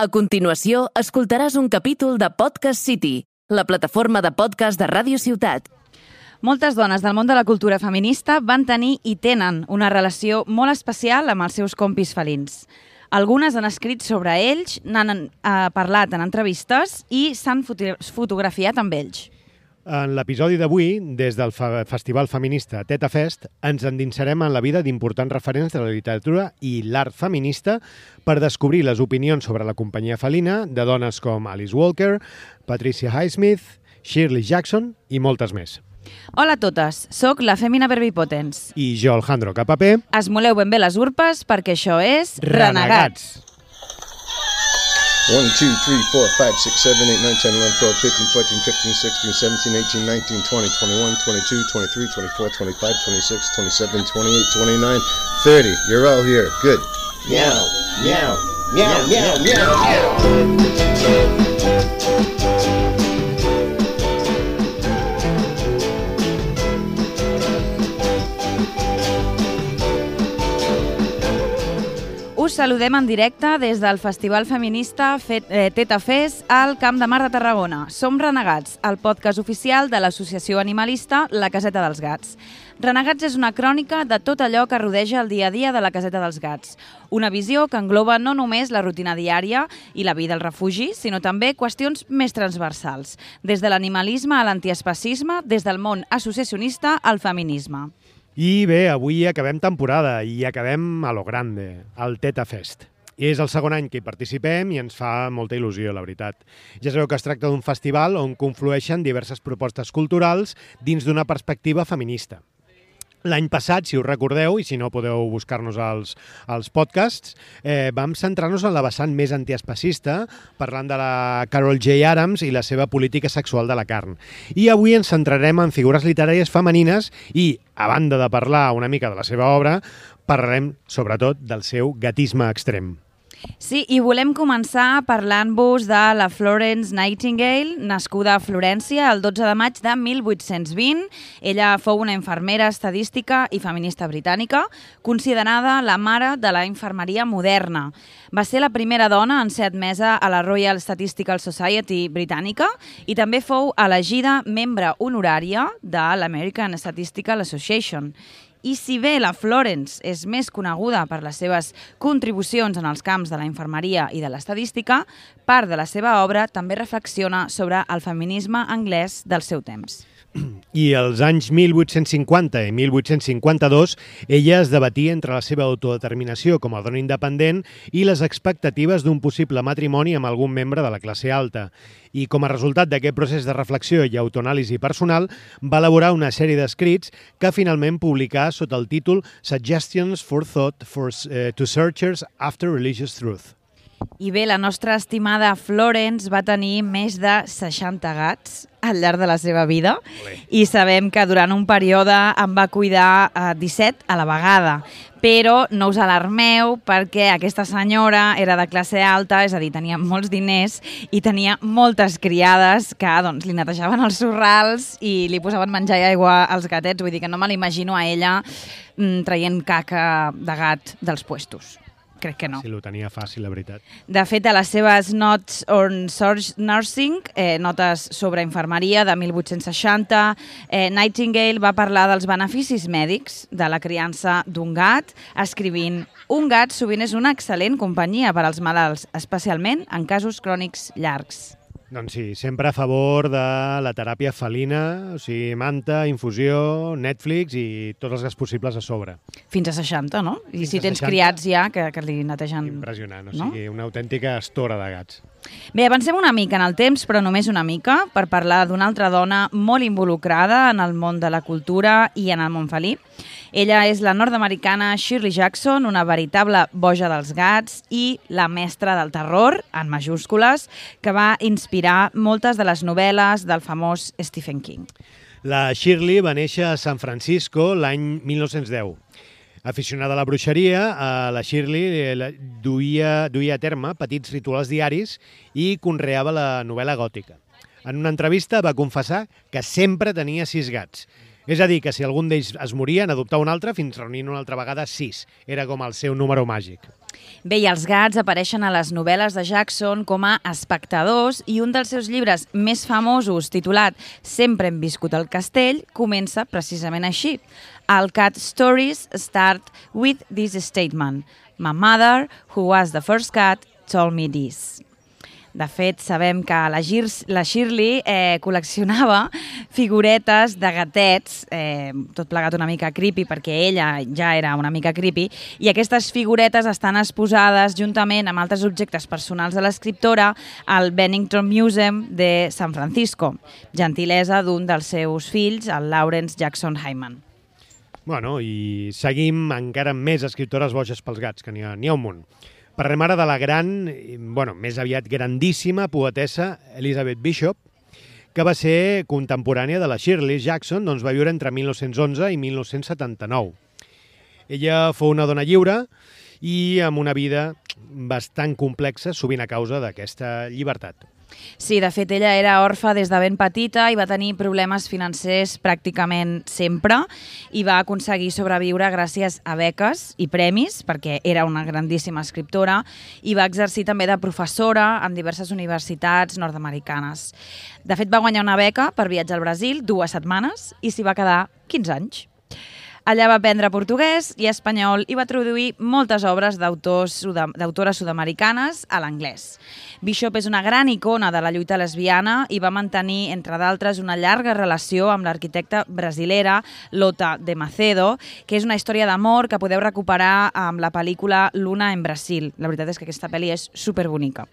A continuació, escoltaràs un capítol de Podcast City, la plataforma de podcast de Ràdio Ciutat. Moltes dones del món de la cultura feminista van tenir i tenen una relació molt especial amb els seus compis felins. Algunes han escrit sobre ells, n'han parlat en entrevistes i s'han fotografiat amb ells. En l'episodi d'avui, des del Festival Feminista Teta Fest, ens endinsarem en la vida d'importants referents de la literatura i l'art feminista per descobrir les opinions sobre la companyia felina de dones com Alice Walker, Patricia Highsmith, Shirley Jackson i moltes més. Hola a totes, sóc la Fèmina Verbipotens. I jo, Alejandro Capapé. Esmoleu ben bé les urpes perquè això és Renegats. 1, 2, 3, 4, 5, 6, 7, 8, 9, 10, 11, 12, 13, 14, 15, 16, 17, 18, 19, 20, 21, 22, 23, 24, 25, 26, 27, 28, 29, 30. You're all here. Good. Meow, meow, meow, meow, meow, meow. Us saludem en directe des del Festival Feminista Teta Fest al Camp de Mar de Tarragona. Som Renegats, el podcast oficial de l'associació animalista La Caseta dels Gats. Renegats és una crònica de tot allò que rodeja el dia a dia de la Caseta dels Gats. Una visió que engloba no només la rutina diària i la vida al refugi, sinó també qüestions més transversals, des de l'animalisme a l'antiespecisme, des del món associacionista al feminisme. I bé, avui acabem temporada i acabem a lo grande, al Teta Fest. És el segon any que hi participem i ens fa molta il·lusió, la veritat. Ja sabeu que es tracta d'un festival on conflueixen diverses propostes culturals dins d'una perspectiva feminista. L'any passat, si us recordeu, i si no podeu buscar-nos als podcasts, vam centrar-nos en la vessant més antiespecista, parlant de la Carol J. Adams i la seva política sexual de la carn. I avui ens centrarem en figures literàries femenines i, a banda de parlar una mica de la seva obra, parlarem sobretot del seu gatisme extrem. Sí, i volem començar parlant-vos de la Florence Nightingale, nascuda a Florència el 12 de maig de 1820. Ella fou una infermera estadística i feminista britànica, considerada la mare de la infermeria moderna. Va ser la primera dona en ser admesa a la Royal Statistical Society britànica i també fou elegida membre honorària de l'American Statistical Association. I si bé la Florence és més coneguda per les seves contribucions en els camps de la infermeria i de l'estadística, part de la seva obra també reflexiona sobre el feminisme anglès del seu temps. I als anys 1850 i 1852 ella es debatia entre la seva autodeterminació com a dona independent i les expectatives d'un possible matrimoni amb algun membre de la classe alta. I com a resultat d'aquest procés de reflexió i autoanàlisi personal va elaborar una sèrie d'escrits que finalment publicà sota el títol Suggestions for Thought to Searchers After Religious Truth. I bé, la nostra estimada Florence va tenir més de 60 gats al llarg de la seva vida i sabem que durant un període en va cuidar 17 a la vegada. Però no us alarmeu perquè aquesta senyora era de classe alta, és a dir, tenia molts diners i tenia moltes criades que li netejaven els sorrals i li posaven menjar i aigua als gatets. Vull dir que no me l'imagino a ella traient caca de gat dels puestos. Crec que no. Sí, ho tenia fàcil, la veritat. De fet, a les seves Notes on Nursing, notes sobre infermeria de 1860, Nightingale va parlar dels beneficis mèdics de la criança d'un gat, escrivint: un gat sovint és una excel·lent companyia per als malalts, especialment en casos crònics llargs. Doncs sí, sempre a favor de la teràpia felina, o sigui, manta, infusió, Netflix i tots els gas possibles a sobre. Fins a 60, no? I si tens 60, criats ja, que li netegen... Impressionant, o sigui, una autèntica estora de gats. Bé, avancem una mica en el temps, però només una mica, per parlar d'una altra dona molt involucrada en el món de la cultura i en el món felí. Ella és la nord-americana Shirley Jackson, una veritable boja dels gats i la mestra del terror, en majúscules, que va inspirar moltes de les novel·les del famós Stephen King. La Shirley va néixer a San Francisco l'any 1910. Aficionada a la bruixeria, la Shirley duia a terme petits rituals diaris i conreava la novel·la gòtica. En una entrevista va confessar que sempre tenia 6 gats És a dir, que si algun d'ells es moria, n'adoptava un altre fins reunint una altra vegada 6. Era com el seu número màgic. Bé, i els gats apareixen a les novel·les de Jackson com a espectadors i un dels seus llibres més famosos, titulat Sempre hem viscut al castell, comença precisament així. All cat stories start with this statement. My mother, who was the first cat, told me this. De fet, sabem que la Shirley col·leccionava figuretes de gatets, tot plegat una mica creepy, perquè ella ja era una mica creepy, i aquestes figuretes estan exposades juntament amb altres objectes personals de l'escriptora al Bennington Museum de San Francisco, gentilesa d'un dels seus fills, el Lawrence Jackson Hyman. Bueno, i seguim encara amb més escriptores boges pels gats, que n'hi ha un munt. Parlem ara de la gran, més aviat grandíssima poetessa Elizabeth Bishop, que va ser contemporània de la Shirley Jackson, doncs va viure entre 1911 i 1979. Ella fou una dona lliure i amb una vida bastant complexa, sovint a causa d'aquesta llibertat. Sí, de fet, ella era orfa des de ben petita i va tenir problemes financers pràcticament sempre i va aconseguir sobreviure gràcies a beques i premis, perquè era una grandíssima escriptora, i va exercir també de professora en diverses universitats nord-americanes. De fet, va guanyar una beca per viatjar al Brasil 2 setmanes i s'hi va quedar 15 anys. Allà va aprendre portuguès i espanyol i va traduir moltes obres d'autores sud-americanes a l'anglès. Bishop és una gran icona de la lluita lesbiana i va mantenir, entre d'altres, una llarga relació amb l'arquitecta brasilera Lota de Macedo, que és una història d'amor que podeu recuperar amb la pel·lícula Luna en Brasil. La veritat és que aquesta pel·li és superbonica.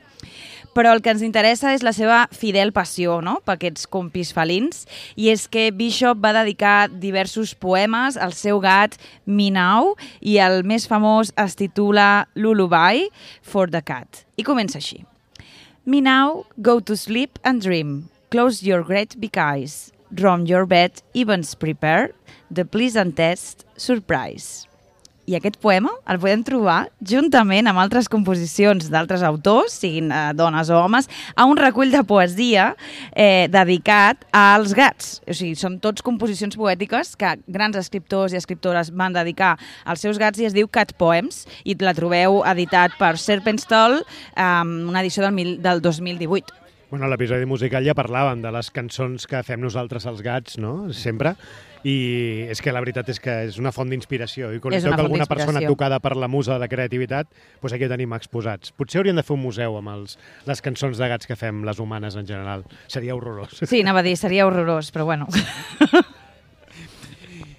Però el que ens interessa és la seva fidel passió, no?, per aquests compis felins, i és que Bishop va dedicar diversos poemes al seu gat Minau i el més famós es titula Lullaby for the Cat. I comença així. Minau, go to sleep and dream. Close your great big eyes. Roam your bed, evens prepare. The pleasantest surprise. I aquest poema el podem trobar juntament amb altres composicions d'altres autors, siguin dones o homes, a un recull de poesia dedicat als gats. O sigui, són tots composicions poètiques que grans escriptors i escriptores van dedicar als seus gats i es diu Cat Poems i la trobeu editat per Serpentstall, una edició del 2018. Bueno, a l'episodi musical ja parlàvem de les cançons que fem nosaltres als gats, no?, sempre, i és que la veritat és que és una font d'inspiració, i quan toca alguna persona tocada per la musa de la creativitat, doncs aquí ho tenim exposats. Potser hauríem de fer un museu amb les cançons de gats que fem les humanes en general. Seria horrorós. Sí, anava a dir, seria horrorós, però bueno.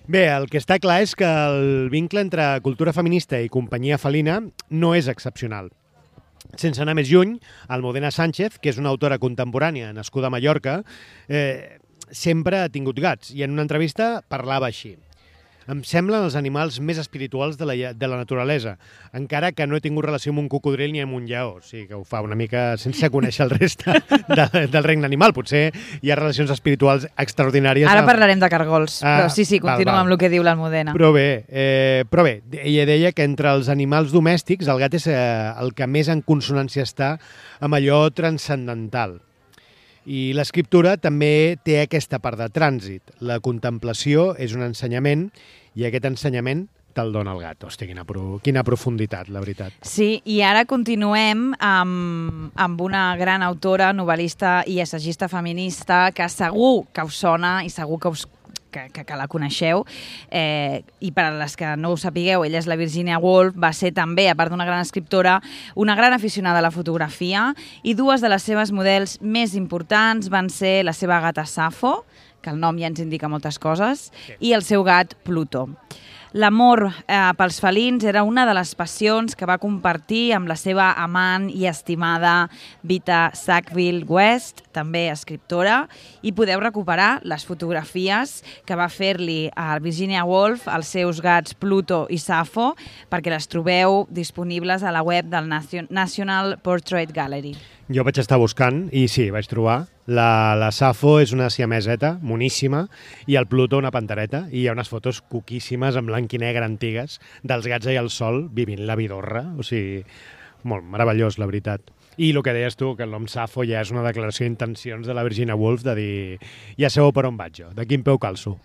Bé, el que està clar és que el vincle entre cultura feminista i companyia felina no és excepcional. Sense anar més lluny, Almudena Sánchez, que és una autora contemporània nascuda a Mallorca, sempre ha tingut gats i en una entrevista parlava així. Em semblen els animals més espirituals de la naturalesa, encara que no he tingut relació amb un cocodril ni amb un lleó. O sigui que ho fa una mica sense conèixer el reste del regne animal. Potser hi ha relacions espirituals extraordinàries. Ara parlarem de cargols, però sí, continua amb el que diu l'Almudena. Però bé, ella deia que entre els animals domèstics el gat és el que més en consonància està amb allò transcendental. I l'escriptura també té aquesta part de trànsit. La contemplació és un ensenyament i aquest ensenyament te'l dona el gat. Hòstia, quina profunditat, la veritat. Sí, i ara continuem amb una gran autora, novel·lista i assagista feminista que segur que us sona i segur que la coneixeu, i per a les que no ho sapigueu, ella és la Virginia Woolf, va ser també, a part d'una gran escriptora, una gran aficionada a la fotografia, i dues de les seves models més importants van ser la seva gata Safo, que el nom ja ens indica moltes coses, i el seu gat Pluto. L'amor pels felins era una de les passions que va compartir amb la seva amant i estimada Vita Sackville-West, també escriptora, i podeu recuperar les fotografies que va fer-li a Virginia Woolf als seus gats Pluto i Safo, perquè les trobeu disponibles a la web del National Portrait Gallery. Jo vaig estar buscant i sí, vaig trobar. La Safo és una siameseta moníssima i el Pluto una pantereta, i hi ha unes fotos coquíssimes en blanc i negre antigues dels gats allà al sol vivint la vidorra. O sigui, molt meravellós, la veritat. I el que deies tu, que el nom Safo ja és una declaració d'intencions de la Virginia Woolf de dir ja sabeu per on vaig jo, de quin peu calço.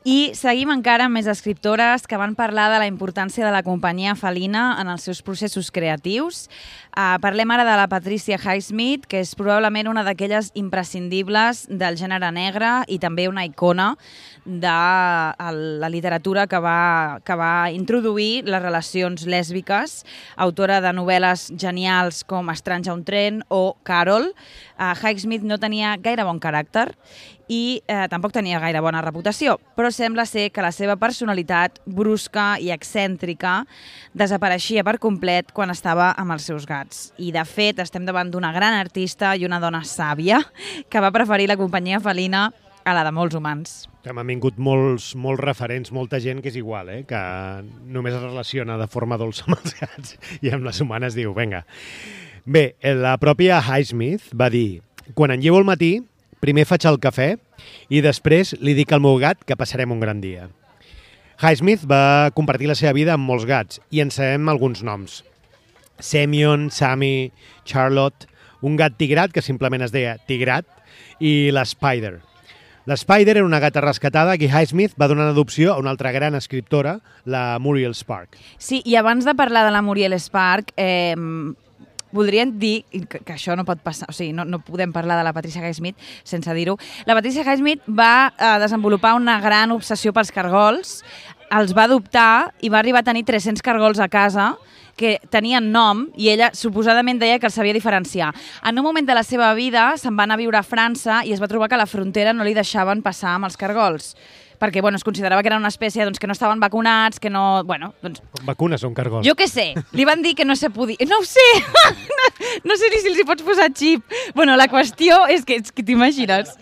I seguim encara amb més escriptores que van parlar de la importància de la companyia felina en els seus processos creatius. Parlem ara de la Patricia Highsmith, que és probablement una d'aquelles imprescindibles del gènere negre i també una icona de la literatura que va introduir les relacions lèsbiques, autora de novel·les genials com Estranys a un tren o Carol. Highsmith no tenia gaire bon caràcter i tampoc tenia gaire bona reputació, però sembla ser que la seva personalitat brusca i excèntrica desapareixia per complet quan estava amb els seus gats. I, de fet, estem davant d'una gran artista i una dona sàvia que va preferir la companyia felina a la de molts humans. M'han vingut molts referents, molta gent que és igual, que només es relaciona de forma dolça amb els gats i amb les humanes diu, vinga. Bé, la pròpia Highsmith va dir, quan en llevo al matí, primer faig el cafè i després li dic al meu gat que passarem un gran dia. Highsmith va compartir la seva vida amb molts gats i en sabem alguns noms. Semyon, Sammy, Charlotte, un gat tigrat que simplement es deia Tigrat i la Spider. La Spider era una gata rescatada que Highsmith va donar en adopció a una altra gran escriptora, la Muriel Spark. Sí, i abans de parlar de la Muriel Spark, voldrien dir que això no pot passar, o sigui, no podem parlar de la Patricia Highsmith sense dir-ho. La Patricia Highsmith va desenvolupar una gran obsessió pels cargols, els va adoptar i va arribar a tenir 300 cargols a casa que tenien nom i ella suposadament deia que els sabia diferenciar. En un moment de la seva vida se'n va anar a viure a França i es va trobar que a la frontera no li deixaven passar amb els cargols perquè es considerava que era una espècie que no estaven vacunats, que no... Com vacunes un cargol? Jo què sé, li van dir que no se podia... No ho sé! No sé ni si els hi pots posar xip. La qüestió és que t'imagines.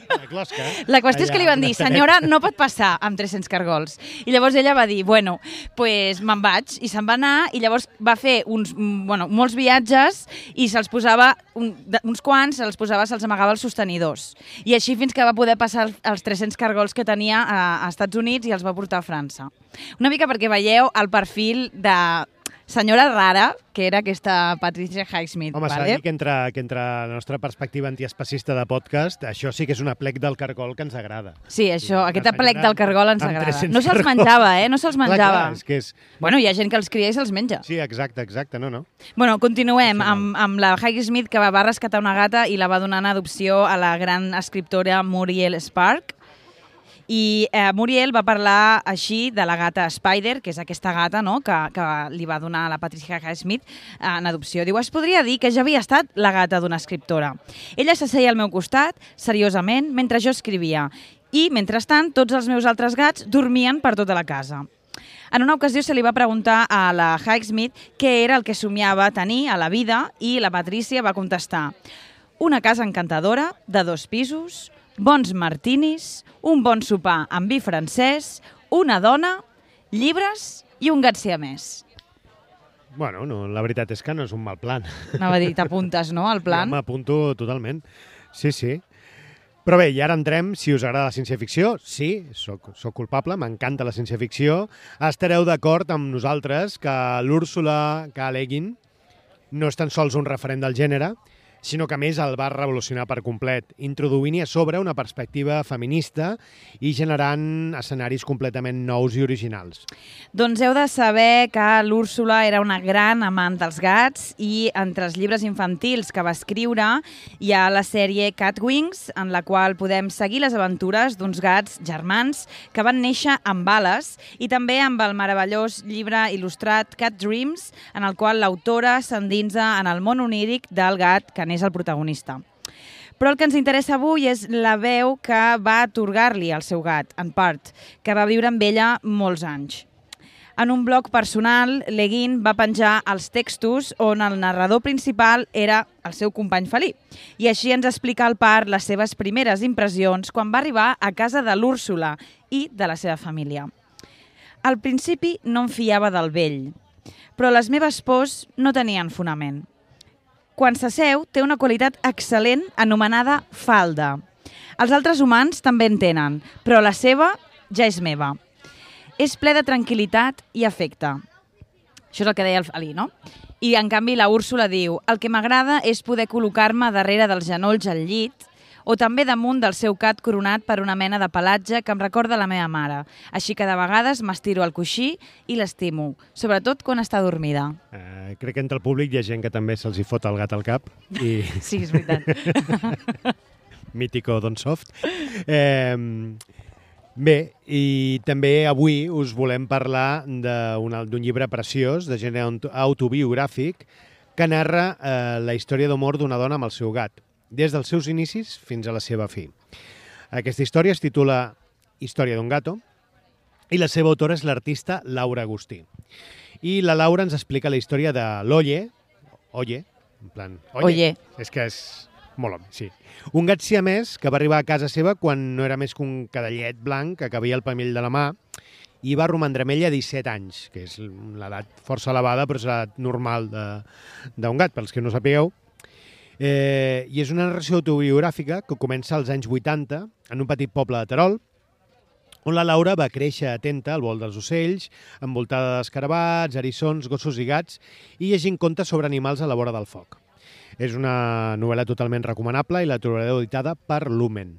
La qüestió és que li van dir, senyora, no pot passar amb 300 cargols. I llavors ella va dir, pues me'n vaig, i se'n va anar, i llavors va fer molts viatges i se'ls posava, uns quants, se'ls amagava els sostenidors. I així fins que va poder passar els 300 cargols que tenia a Estats Units i els va portar a França. Una mica perquè veieu el perfil de senyora rara que era aquesta Patricia Highsmith. Home, s'ha de dir que entre la nostra perspectiva antiespecista de podcast, això sí que és un aplec del cargol que ens agrada. Sí, aquest aplec del cargol ens agrada. No se'ls menjava, No se'ls menjava. Clar, és que és... Hi ha gent que els cria i se'ls menja. Sí, exacte, no. Continuem amb la Highsmith, que va rescatar una gata i la va donar en adopció a la gran escriptora Muriel Spark. I Muriel va parlar així de la gata Spider, que és aquesta gata que li va donar a la Patricia Highsmith en adopció. Diu, es podria dir que ja havia estat la gata d'una escriptora. Ella s'asseia al meu costat, seriosament, mentre jo escrivia. I, mentrestant, tots els meus altres gats dormien per tota la casa. En una ocasió se li va preguntar a la Highsmith què era el que somiava tenir a la vida i la Patricia va contestar: una casa encantadora de 2 pisos, bons martinis, un bon sopar amb vi francès, una dona, llibres i un gat siamès. La veritat és que no és un mal plan. Anava a dir, t'apuntes, no, al plan? Jo m'apunto totalment. Sí. Però bé, i ara entrem, si us agrada la ciència-ficció, sí, soc culpable, m'encanta la ciència-ficció, estareu d'acord amb nosaltres que l'Úrsula K. Le Guin no és tan sols un referent del gènere, sinó que a més el va revolucionar per complet, introduint-hi a sobre una perspectiva feminista i generant escenaris completament nous i originals. Doncs heu de saber que l'Úrsula era una gran amant dels gats i entre els llibres infantils que va escriure hi ha la sèrie Catwings, en la qual podem seguir les aventures d'uns gats germans que van néixer amb ales i també amb el meravellós llibre il·lustrat Cat Dreams, en el qual l'autora s'endinsa en el món oníric del gat que n'és el protagonista. Però el que ens interessa avui és la veu que va atorgar-li al seu gat, en part, que va viure amb ella molts anys. En un blog personal, Le Guin va penjar els textos on el narrador principal era el seu company felí. I així ens explica el part les seves primeres impressions quan va arribar a casa de l'Úrsula i de la seva família. Al principi no em fiava del vell, però les meves pors no tenien fonament. Quan s'asseu, té una qualitat excel·lent anomenada falda. Els altres humans també en tenen, però la seva ja és meva. És ple de tranquil·litat i afecte. Això és el que deia el felí, no? I, en canvi, la Úrsula diu: el que m'agrada és poder col·locar-me darrere dels genolls al llit o també damunt del seu cat coronat per una mena de pelatge que em recorda la meva mare. Així que de vegades m'estiro al coixí i l'estimo, sobretot quan està dormida. Crec que entre el públic hi ha gent que també se'ls hi fot el gat al cap. I... Sí, és veritat. Mítico Don Soft. Bé, i també avui us volem parlar d'un llibre preciós, de gènere autobiogràfic, que narra la història d'amor d'una dona amb el seu gat, des dels seus inicis fins a la seva fi. Aquesta història es titula Història d'un gato, i la seva autora és l'artista Laura Agustí. I la Laura ens explica la història de l'Oye, en plan... Oye. És que és molt home, sí. Un gat siamès que va arribar a casa seva quan no era més que un cadallet blanc que cabia al pamell de la mà i va romandre amb ella 17 anys, que és l'edat força elevada, però és l'edat normal d'un gat, pels que no sapigueu. I és una narració autobiogràfica que comença als anys 80 en un petit poble de Terol, on la Laura va créixer atenta al vol dels ocells, envoltada d'escarabats, eriçons, gossos i gats, i llegint contes sobre animals a la vora del foc. És una novel·la totalment recomanable i la trobareu editada per Lumen.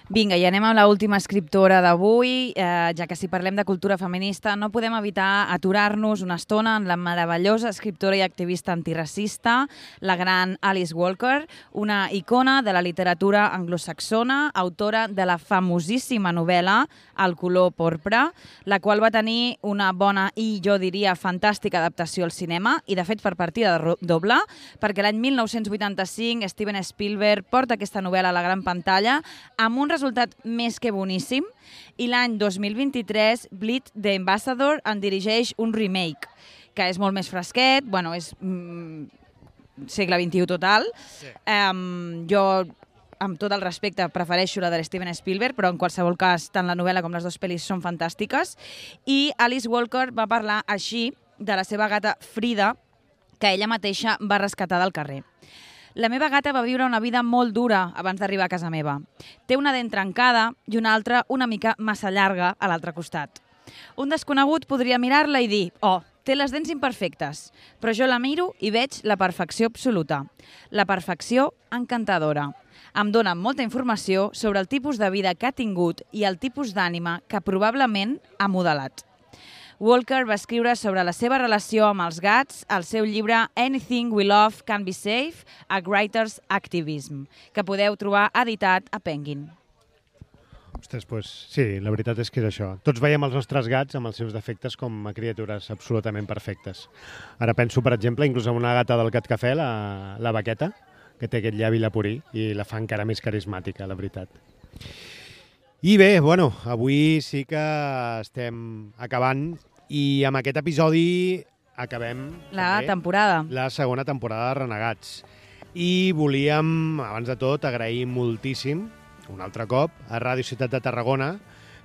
Vinga, i anem amb l'última escriptora d'avui. Ja que si parlem de cultura feminista, no podem evitar aturar-nos una estona en la meravellosa escriptora i activista antiracista, la gran Alice Walker, una icona de la literatura anglosaxona, autora de la famosíssima novel·la El color porpra, la qual va tenir una bona i, jo diria, fantàstica adaptació al cinema, i de fet per partida doble, perquè l'any 1985 Steven Spielberg porta aquesta novel·la a la gran pantalla amb un resultat més que boníssim, i l'any 2023 Bleed the Ambassador en dirigeix un remake, que és molt més fresquet, bueno, és segle XXI total. Sí. Jo, amb tot el respecte, prefereixo la de Steven Spielberg, però en qualsevol cas, tant la novel·la com les dues pel·lis són fantàstiques. I Alice Walker va parlar així de la seva gata Frida, que ella mateixa va rescatar del carrer. La meva gata va viure una vida molt dura abans d'arribar a casa meva. Té una dent trencada i una altra una mica massa llarga a l'altre costat. Un desconegut podria mirar-la i dir «Oh, té les dents imperfectes», però jo la miro i veig la perfecció absoluta. La perfecció encantadora. Em dona molta informació sobre el tipus de vida que ha tingut i el tipus d'ànima que probablement ha modelat. Walker va escriure sobre la seva relació amb els gats al seu llibre Anything We Love Can Be Safe, A Writer's Activism, que podeu trobar editat a Penguin. Ostres, doncs sí, la veritat és que és això. Tots veiem els nostres gats amb els seus defectes com a criatures absolutament perfectes. Ara penso, per exemple, inclús en una gata del Gat Cafè, la Vaqueta, que té aquest llavi leporí i la fa encara més carismàtica, la veritat. I bé, bueno, avui sí que estem acabant i amb aquest episodi acabem la temporada. La segona temporada de Renegats. I volíem, abans de tot, agrair moltíssim, un altre cop, a Ràdio Ciutat de Tarragona,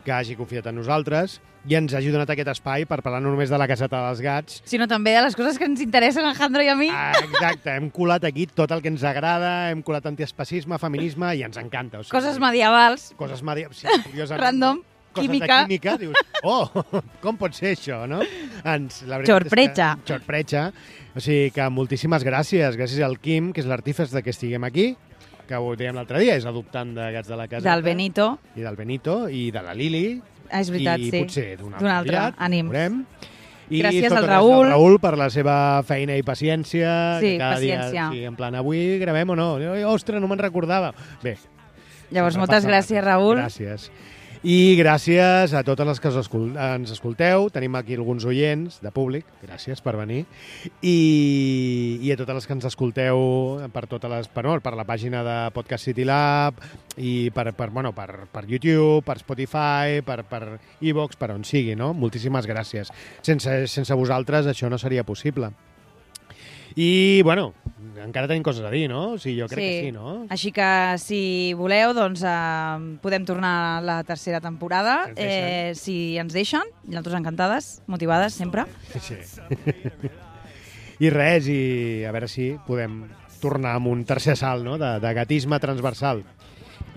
que hagi confiat en nosaltres i ens hagi donat aquest espai per parlar no només de la caseta dels gats, sinó també de les coses que ens interessen a Alejandro i a mi. Exacte, hem colat aquí tot el que ens agrada, hem colat antiespacisme, feminisme, i ens encanta. O sigui, coses medievals. Coses medievals, sí, curiosament. Random. Coses química. De química, dius, com pot ser això, no? Xorpretxa. Xorpretxa. O sigui que moltíssimes gràcies. Gràcies al Quim, que és l'artífex de que estiguem aquí, que ho dèiem l'altre dia, és adoptant de gats de la casa. Del Benito. I del Benito, i de la Lili. És veritat, i sí. I potser d'un altre, aviat, ànim. Veurem. I gràcies al Raül. Al Raül per la seva feina i paciència. Sí, que cada paciència. Dia, sí, en plan, avui gravem o no? Ostres, no me'n recordava. Bé. Llavors, moltes gràcies, Raül. Gràcies. I gràcies a totes les que ens escolteu. Tenim aquí alguns oients de públic. Gràcies per venir. I a totes les que ens escolteu per la pàgina de Podcast City Lab i per YouTube, per Spotify, per iVoox, per on sigui, no? Moltíssimes gràcies. Sense vosaltres això no seria possible. I, bueno, encara tenim coses a dir, no? O sigui, jo crec que sí, no? Així que, si voleu, doncs podem tornar a la tercera temporada, si ens deixen. Nosaltres encantades, motivades, sempre. Sí. I res, i a veure si podem tornar amb un tercer salt, no?, de gatisme transversal.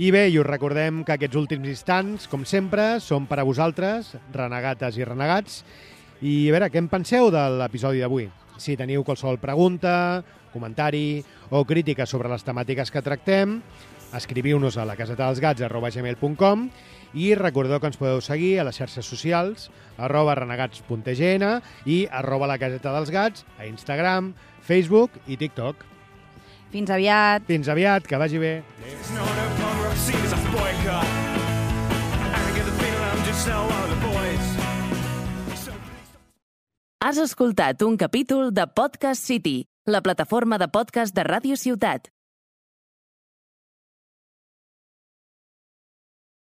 I bé, i us recordem que aquests últims instants, com sempre, són per a vosaltres, renegates i renegats. I a veure, què en penseu de l'episodi d'avui? Si teniu qualsevol pregunta comentari o crítica sobre les temàtiques que tractem, escriviu-nos a lacasetadelsgats@gmail.com i recordeu que ens podeu seguir a les xarxes socials @renegats.gn i @lacasetadelsgats a Instagram, Facebook i TikTok. Fins aviat. Fins aviat, que vagi bé. Has escoltat un capítol de Podcast City, la plataforma de podcast de Ràdio Ciutat.